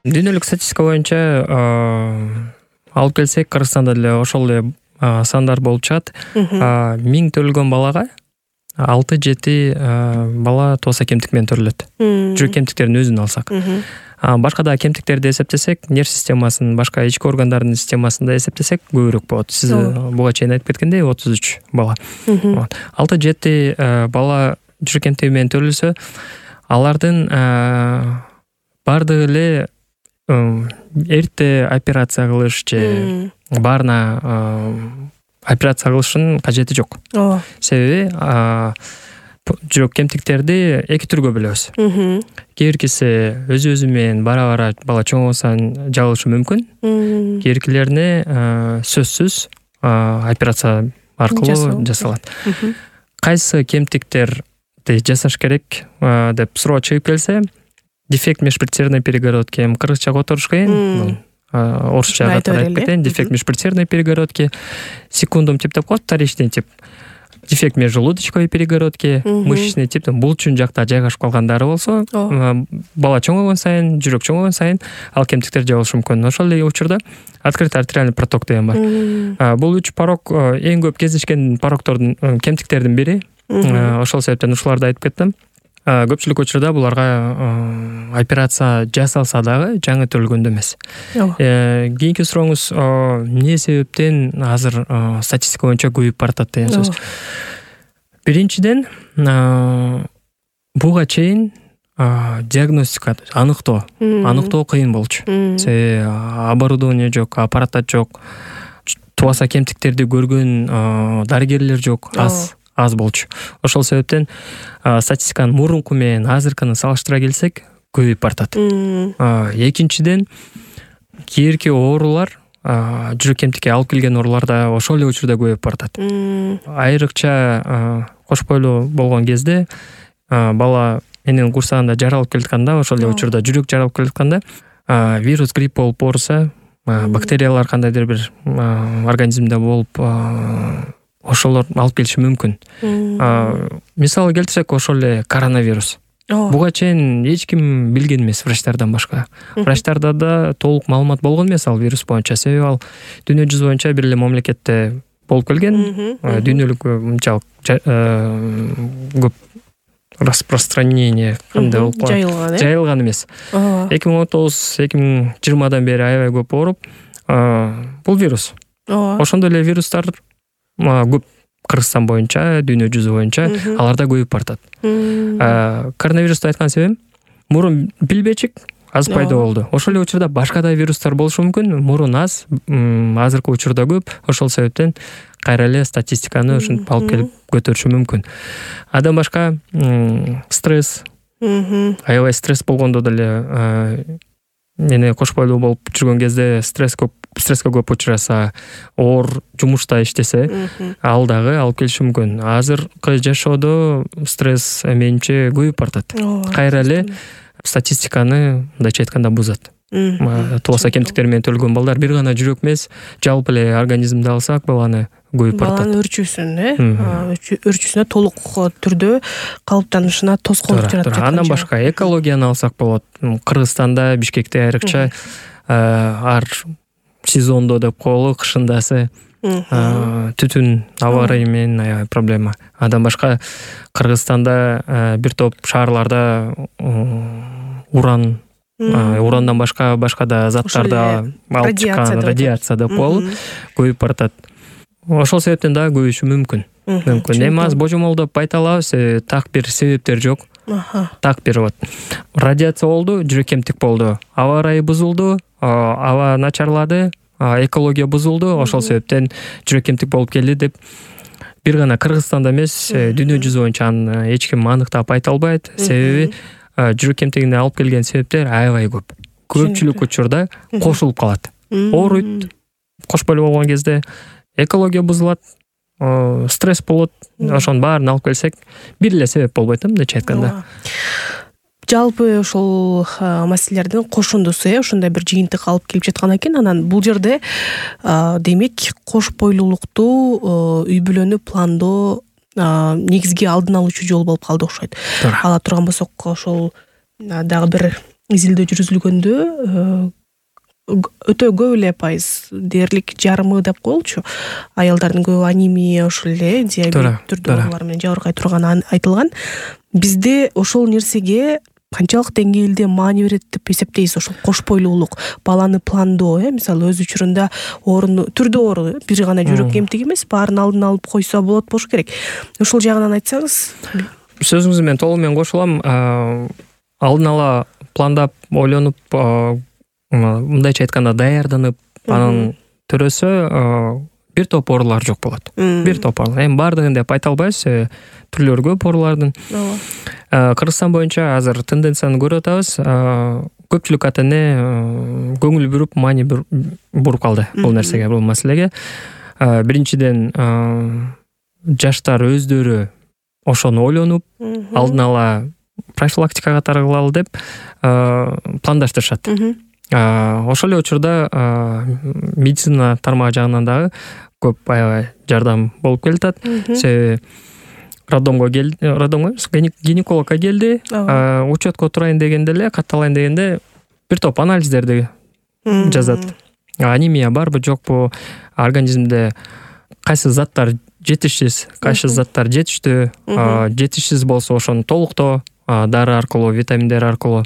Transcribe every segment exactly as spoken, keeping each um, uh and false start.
Дүйнөлүк статистика боюнча алып келсек, Кыргызстанда деле ошол эле сандар болуп чыгат. Миң төрөлгөн балага алты жети бала тооса кемтик менен төрөлөт. Жүрөк кемтиктеринин өзүн алсак. Башка да кемтиктерди эсептесек, нерв системасын, башка ички органдардын системасын да эсептесек көбүрөөк болот. Сиз буга чейин айтып кеткендей отуз үч бала. алты жети бала жүрөк кемтиги менен төрөлсө, алардын бардыгы эле эрте операция кылыш же баарына операция кылыштын кажети жок. Себеби жүрөк кемтиктерди эки түргө бөлөбүз. Кээ биркиси өзү-өзү менен бара-бара бала чоңойгон жабылышы мүмкүн. Кээ биркилерине сөзсүз операция аркылуу жасалат. Кайсы кемтиктерди жасаш керек деп суроо чыгып келсе, дефект межпредсердной перегородки, кыргызча которуш кыйын, орусча айтып кетейин. Дефект межпредсердной перегородки, секундум тип деп коет, вторичный тип. Дефект межжелудочковой перегородки, мышечный тип, булчун жакта жайгашып калгандары болсо, бала чоңойгон сайын, жүрөк чоңойгон сайын ал кемтиктер жабылышы мүмкүн. Ошол эле учурда открытый артериальный проток деген бар. Бул үч порок эң көп кездешкен пороктордун, кемтиктердин бири. Ошол себептен ушуларды айтып кеттим. Көпчүлүк учурда буларга операция жасалса дагы жаңы төрөлгөндө эмес. Кийинки сурооңуз эмне себептен азыр статистика боюнча көбөйүп баратат деген сөз. Биринчиден, буга чейин диагностика, аныктоо, аныктоо кыйын болчу. Себеби оборудование жок, аппараттар жок, тубаса кемтиктерди көргөн дарыгерлер жок, аз. аз болчу. Ошол себептен статистиканын мурунку менен азыркыны салыштыра келсек, көбөйүп баратат. Экинчиден, кийинки оорулар, жүрөк кемтикке алып келген оорулар да ошол эле учурда көбөйүп баратат. Айрыкча кош бойлуу болгон кезде, бала эненин курсагында жаралып келатканда, ошол эле учурда жүрөк жаралып келатканда, вирус, грипп болуп ооруса, бактериялар кандайдыр бир организмде болуп, ошолор алып келиши мүмкүн. Мисалы келтирсек, ошол эле коронавирус. Буга чейин эч ким билген эмес, врачтардан башка. Врачтарда да толук маалымат болгон эмес ал вирус боюнча. Себеби ал дүйнө жүзү боюнча бир эле мамлекетте болуп келген. Дүйнөлүк мынчалык көп распространение кандай болуп калган, жайылган эмес. эки миң он тогуз эки миң жыйырмадан бери аябай көп ооруп, бул вирус. Ошондой эле вирустар көп Кыргызстан боюнча, дүйнө жүзү боюнча аларда көбөйүп баратат. Коронавирусту айткан себебим, мурун билбечик аз пайда болду. Ошол эле учурда башка да вирустар болушу мүмкүн, мурун аз, азыркы учурда көп. Ошол себептен кайра эле статистиканы ушинтип алып келип көтөрүшү мүмкүн. Андан башка стресс, аябай стресс болгондо деле, эне кош бойлуу болуп жүргөн кезде стресс көп, стресске көп учураса, оор жумушта иштесе, ал дагы алып келиши мүмкүн. Азыркы жашоодо стресс менимче көбөйүп баратат. Кайра эле статистиканы мындайча айтканда бузат. Тубаса кемтиктер менен төрөлгөн балдар бир гана жүрөк эмес, жалпы эле организмди алсак, баланы көбөйүп баратат. Баланын өрчүүсүн, э, өрчүүсүнө толук түрдө калыптанышына тоскоолдук жаратып жатат. Андан башка экологияны алсак болот. Кыргызстанда, Бишкекте айрыкча ар сезондо деп коелу, кышындасы түтүн аба ырайы менен аябай проблема. Андан башка Кыргызстанда бир топ шаарларда уран, урандан башка башка да заттарды алып чыккан радиация деп коелу, көбөйүп баратат. Ошол себептен дагы көбөйүшү мүмкүн. Мүмкүн. Эми аз божомолдоп айта алабыз, так бир себептер жок. Так бир вот радиация болду, жүрөк кемтик болду, аба ырайы бузулду, аба начарлады, экология бузулду, ошол себептен жүрөк кемтик болуп келди деп бир гана Кыргызстанда эмес, дүйнө жүзү боюнча аны эч ким аныктап айта албайт. Себеби жүрөк кемтигине алып келген себептер аябай көп. Көпчүлүк учурда кошулуп калат. Ооруйт, кош бойлуу болгон кезде экология бузулат, стресс болот. Ошонун баарын алып келсек, бир эле себеп болбойт, мындайча айтканда. Жалпы ошол маселелердин кошундусу, э, ушундай бир жыйынтык алып келип жаткан экен. Анан бул жерде демек кош бойлуулукту үй бүлөнү пландоо негизги алдын алуучу жол болуп калды окшойт. Ала турган болсок, ошол дагы бир изилдөө жүргүзүлгөндө өтө көп эле пайыз, дээрлик жарымы деп коелучу, аялдардын көбү анемия, ошол эле диабет түрдүү оорулар менен жабыркай турганы айтылган. Бизде ошол нерсеге канчалык деңгээлде маани берет деп эсептейсиз? Ошол кош бойлуулук, баланы пландоо, э, мисалы өз учурунда оорун, түрдүү оору, бир гана жүрөк кемтиги эмес, баарын алдын алып койсо болот болуш керек. Ошол жагынан айтсаңыз. Сөзүңүз менен толук менен кошулам. Алдын ала пландап, ойлонуп, мындайча айтканда даярданып, анын төрөсө бир топ оорулар жок болот. Бир топ оорулар. Эми баардыгын деп айта албайбыз. Түрлөрү көп оорулардын. Кыргызстан боюнча азыр тенденцияны көрүп атабыз. Көпчүлүк ата-эне көңүл буруп, маани буруп калды бул нерсеге, бул маселеге. Биринчиден, жаштар өздөрү ошону ойлонуп, алдын ала профилактикага таргылалы деп пландаштырышат. Ошол эле учурда медицина тармагы жагынан дагы көп аябай жардам болуп келатат. Себеби роддомго келди, роддомго гинекологко келди, учетко турайын дегенде эле, катталайын дегенде бир топ анализдерди жазат. Анемия барбы, жокпу, организмде кайсы заттар жетишсиз, кайсы заттар жетиштүү, жетишсиз болсо ошону толуктоо дары аркылуу, витаминдер аркылуу.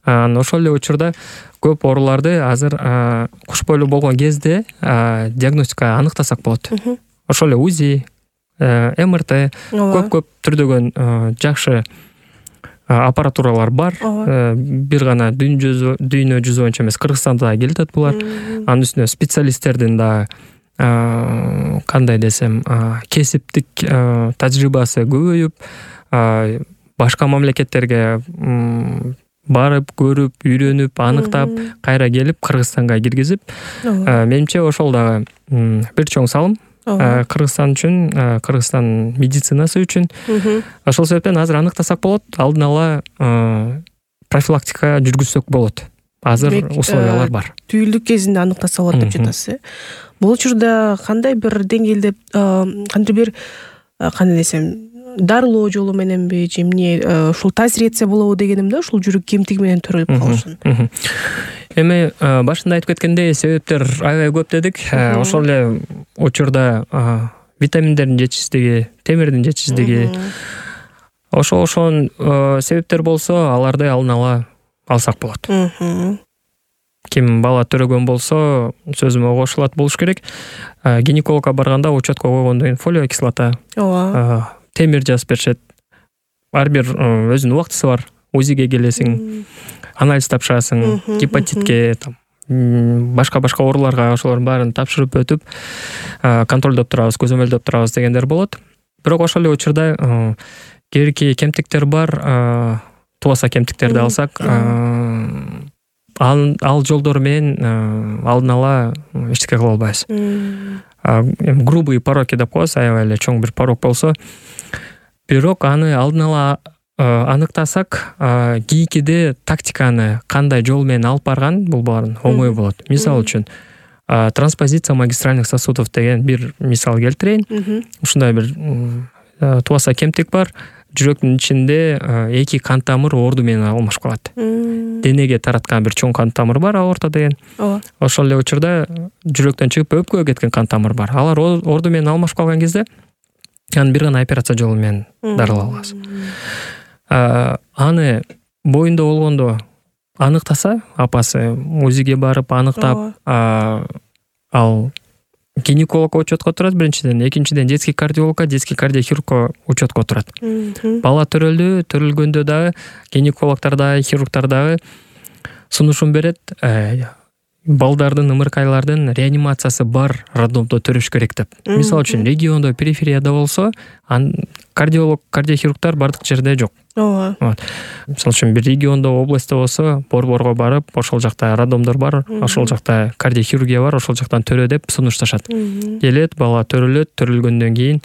Ошол эле учурда көп ооруларды азыр куш бойлуу болгон кезде диагностика аныктасак болот. Ошол эле УЗИ, эм эр тэ, көп-көп түрдөгөн жакшы аппаратуралар бар. Бир гана дүйнө жүзү боюнча эмес, Кыргызстанда да келет булар. Анын үстүнө специалисттердин да кандай десем, кесиптик тажрыйбасы көбөйүп, башка мамлекеттерге барып, көрүп, үйрөнүп, аныктап, кайра келип Кыргызстанга киргизип, менимче ошол дагы бир чоң салым Кыргызстан үчүн, Кыргызстан медицинасы үчүн. Ошол себептен азыр аныктасак болот, алдын ала профилактика жүргүзсөк болот. Азыр условиялар бар. Түйүлдүк кезинде аныктаса болот деп жатасыз. Бул учурда кандай бир деңгээлде, кандай бир, кандай десем, дарылоо жолу мененби, же эмне, ушул таасир этсе болобу дегеним да, ушул жүрөк кемтиги менен төрөлүп калышын. Эми башында айтып кеткендей, себептер аябай көп дедик. Ошол эле учурда витаминдердин жетишсиздиги, темирдин жетишсиздиги, ошо ошон себептер болсо, аларды алдын ала алсак болот. Ким бала төрөгөн болсо, сөзүмө кошулат болуш керек. Гинекологко барганда учетко койгондон кийин фолиевая кислота, темир жазып беришет. Ар бир өзүнүн убактысы бар. УЗИге келесиң, анализ тапшырасың, гепатитке, башка-башка ооруларга ошолордун баарын тапшырып өтүп, контролдоп турабыз, көзөмөлдөп турабыз дегендер болот. Бирок ошол эле учурда кээки кемтиктер бар. Туаса кемтиктерди алсак, ал жолдор менен алдын ала эчтеке кыла албайбыз. Грубый пороки деп коебуз, аябай эле чоң бир порок болсо, бирок аны алдын ала аныктасак, кийинкиде тактиканы кандай жол менен алып барган бул баарын оңой болот. Мисалы үчүн, транспозиция магистральных сосудов деген бир мисал келтирейин. Ушундай бир туаса кемтик бар. Жүрөктүн ичинде эки кан тамыр орду менен алмашып калат. Денеге тараткан бир чоң кан тамыр бар, аорта деген. Ошол эле учурда жүрөктөн чыгып өпкөгө кеткен кан тамыр бар. Алар орду менен алмашып калган кезде аны бир гана операция жолу менен дарылай алабыз. Аны боюнда болгондо аныктаса, апасы УЗИге барып аныктап, ал гинекологко учетко турат биринчиден, экинчиден детский кардиологко, детский кардиохирургко учетко турат. Бала төрөлдү, төрөлгөндө дагы гинекологдор дагы, хирургдар дагы сунушун берет. Балдардын, ымыркайлардын реанимациясы бар роддомдо төрөш керек деп. Мисалы үчүн, региондо, периферияда болсо, кардиолог, кардиохирургдар бардык жерде жок. Мисалы үчүн, бир региондо, областта болсо, Борборго барып, ошол жакта роддомдор бар, ошол жакта кардиохирургия бар, ошол жактан төрө деп сунушташат. Келет, бала төрөлөт, төрөлгөндөн кийин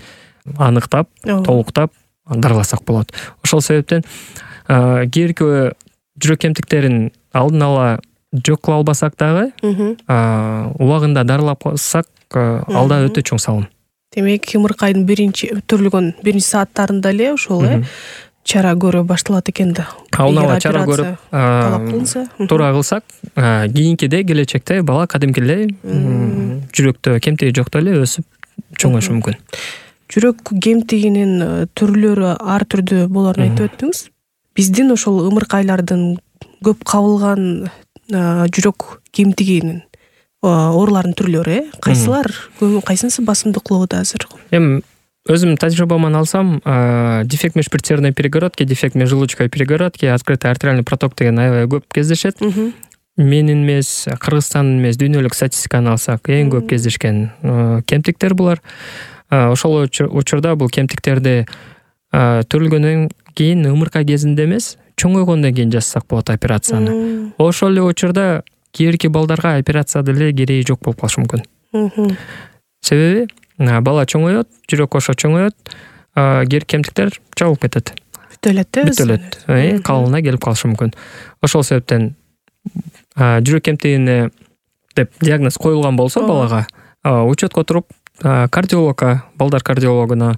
аныктап, толуктап дарыласак болот. Ошол себептен кээки жүрөк кемтиктерин алдын ала жок кыла албасак дагы, убагында дарылап калсак, алда өтө чоң салым. Демек, ымыркайдын биринчи төрөлгөн биринчи сааттарында эле ошол э чара көрө башталат экен да. унаа чара көрүп талап кылынса, туура кылсак, кийинкиде келечекте бала кадимки эле жүрөктө кемтиги жок эле өсүп чоңоюшу мүмкүн. Жүрөк кемтигинин түрлөрү ар түрдүү болоорун айтып өттүңүз. Биздин ошол ымыркайлардын көп кабылган жүрөк кемтигинин оорулардын түрлөрү э кайсылар кайсынысы басымдык болот азыр? Эми өзүм тажрыйбаман алсам, дефект межперитерной перегородки, дефект межжелудочковой перегородки, открытый артериальный проток деген аябай көп кездешет. Менин эмес, Кыргызстандын эмес, дүйнөлүк статистиканы алсак, эң көп кездешкен кемтиктер булар. Ошол учурда бул кемтиктерди төрөлгөндөн кийин ымырка кезинде эмес, чоңойгондон кийин жасасак болот операцияны. Ошол эле учурда кийинки балдарга операция деле кереги жок болуп калышы мүмкүн. Себеби бала чоңоет, жүрөк ошо чоңоет, кийинки кемтиктер жабылып кетет. Бүтө элет да? Бүтө элет. Калыбына келип калышы мүмкүн. Ошол себептен жүрөк кемтигине деп диагноз коюлган болсо балага, учетко туруп кардиологко, балдар кардиологуна,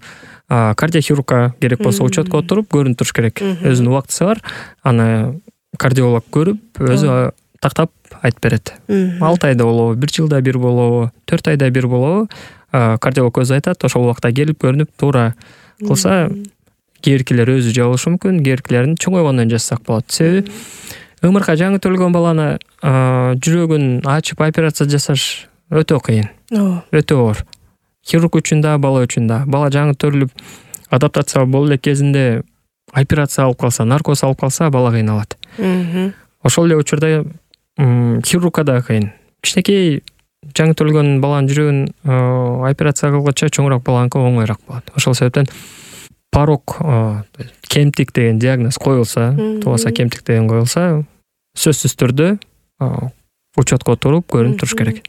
кардиохирургка керек болсо учетко туруп көрүнүп туруш керек. Өзүнүн убактысы бар. Аны кардиолог көрүп, өзү тактап айтып берет. алты айда болобу, бир жылда бир болобу, төрт айда бир болобу, кардиолог өзү айтат. Ошол убакта келип көрүнүп туура кылса, кийинкилер өзү жабылышы мүмкүн, кийинкилерин чоңойгондон жасасак болот. Себеби ымырка жаңы төрөлгөн баланы жүрөгүн ачып операция жасаш өтө кыйын. Өтө оор. Хирург үчүн да, бала үчүн да. Бала жаңы төрүлүп, адаптация боло элек кезинде операция алып калса, наркоз алып калса, бала кыйналат. Ошол эле учурда хирургка да кыйын. Кичинекей жаңы төрөлгөн баланын жүрөгүн операция кылгыча чоңураак баланыкы оңоюраак болот. Ошол себептен порог, кемтик деген диагноз коюлса, тубаса кемтик деген коюлса, сөзсүз түрдө учетко туруп көрүнүп туруш керек.